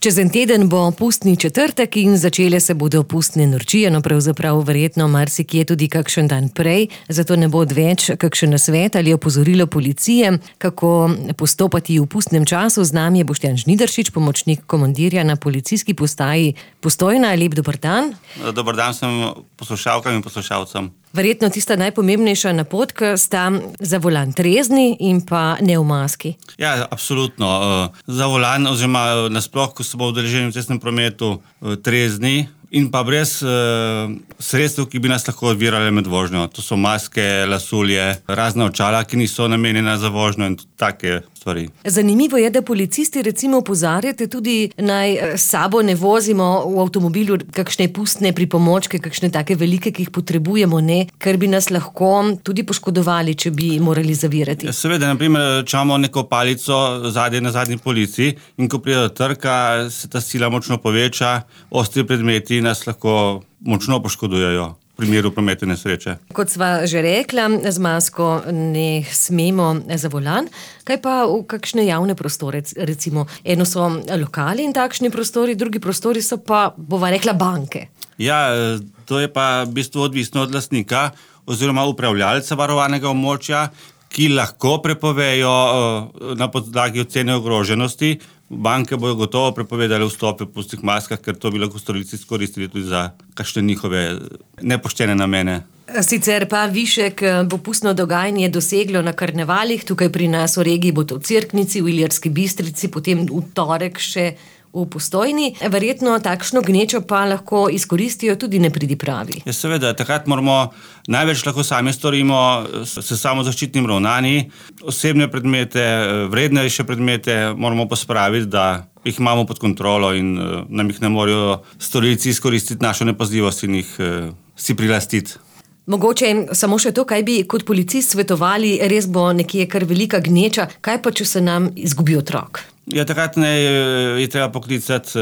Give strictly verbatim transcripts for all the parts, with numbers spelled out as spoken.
Čez en teden bo pustni četrtek in začele se bodo pustne norčije, no pravzaprav verjetno marsikje tudi kakšen dan prej, zato ne bo odveč kakšen nasvet ali opozorilo policije, kako postopati v pustnem času. Z nami je Boštjan Žnidaršič, pomočnik komandirja na policijski postaji Postojna. Lep dober dan. Dober dan sem poslušalkam in poslušalcem. Verjetno tista najpomembnejša napotka sta za volan trezni in pa ne v maski. Ja, absolutno. Za volan oziroma nasploh, ko se bo udeleženi v cestnem prometu, trezni in pa brez uh, sredstev, ki bi nas lahko odvirale med vožnjo. To so maske, lasulje, razna očala, ki niso namenjena za vožnjo in take stvari. Zanimivo je, da policisti recimo opozarjate tudi, naj s sabo ne vozimo v avtomobilu kakšne pustne pripomočke, kakšne take velike, ki jih potrebujemo, ne, ker bi nas lahko tudi poškodovali, če bi morali zavirati. Ja, seveda, na primer, če imamo neko palico zadnje na zadnji polici in ko pride do trka, se ta sila močno poveča, ostri predmeti nas lahko močno poškodujejo v primeru prometne nesreče. Kot sva že rekla, z masko ne smemo za volan. Kaj pa v kakšne javne prostore? Recimo, eno so lokali in takšni prostori, drugi prostori so pa, bova rekla, banke. Ja, to je pa v bistvu odvisno od lastnika oziroma upravljalca varovanega območja, ki lahko prepovejo na podlagi ocene ogroženosti. Banke bojo gotovo prepovedali vstope v pustnih maskah, ker to bi lahko storilci izkoristili tudi za kakšne njihove nepoštene namene. Sicer pa višek bo pustno dogajanje doseglo na karnevalih, tukaj pri nas v regiji bo to v Cerknici, v Ilirski Bistrici, potem v torek še v Postojni. Verjetno takšno gnečo pa lahko izkoristijo tudi nepridipravi. Ja, seveda, takrat moramo, največ lahko sami storimo s samozaščitnim ravnanji. Osebne predmete, vrednejše predmete moramo pospraviti, da jih imamo pod kontrolo in nam jih ne morejo storilci izkoristiti našo nepazljivost in jih si prilastiti. Mogoče samo še to, kaj bi kot policist svetovali, res bo nekje kar velika gneča, kaj pa, če se nam izgubi otrok? Ja, takrat ne je treba poklicati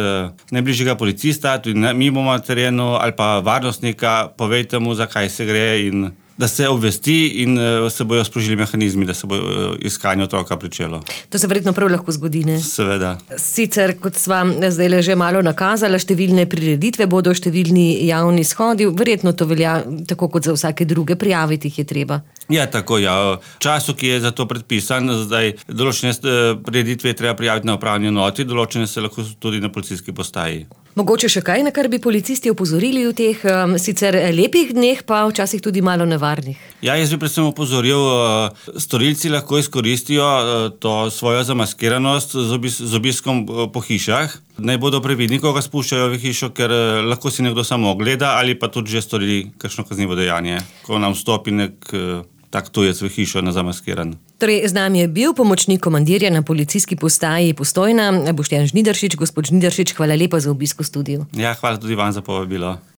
najbližjega policista, tudi mi bomo na terenu, ali pa varnostnika, povejte mu, zakaj se gre in da se obvesti in se bojo sprožili mehanizmi, da se bo iskanje otroka pričelo. To se verjetno prav lahko zgodi, ne? Seveda. Sicer, kot sva zdaj že malo nakazala, številne prireditve bodo, številni javni shodi, verjetno to velja tako kot za vsake druge, prijaviti jih je treba. Ja, tako, ja. V času, ki je za to predpisan, zdaj določene prireditve je treba prijaviti na upravni enoti, določene se lahko tudi na policijski postaji. Mogoče še kaj, na kar bi policisti opozorili v teh um, sicer lepih dneh, pa včasih tudi malo nevarnih? Ja, jaz bi predvsem opozoril, storilci lahko izkoristijo to svojo zamaskiranost z, obis, z obiskom po hišah. Naj bodo previdni, ko ga spuščajo v hišo, ker lahko si nekdo samo ogleda ali pa tudi že storili kakšno kaznivo dejanje, ko nam vstopi nek tak tujec v hišo na zamaskiran. Torej, z nami je bil pomočnik komandirja na policijski postaji Postojna, Boštjan Žnidaršič. Gospod Žnidaršič, hvala lepa za obisk v studiu. Ja, hvala tudi vam za povabilo.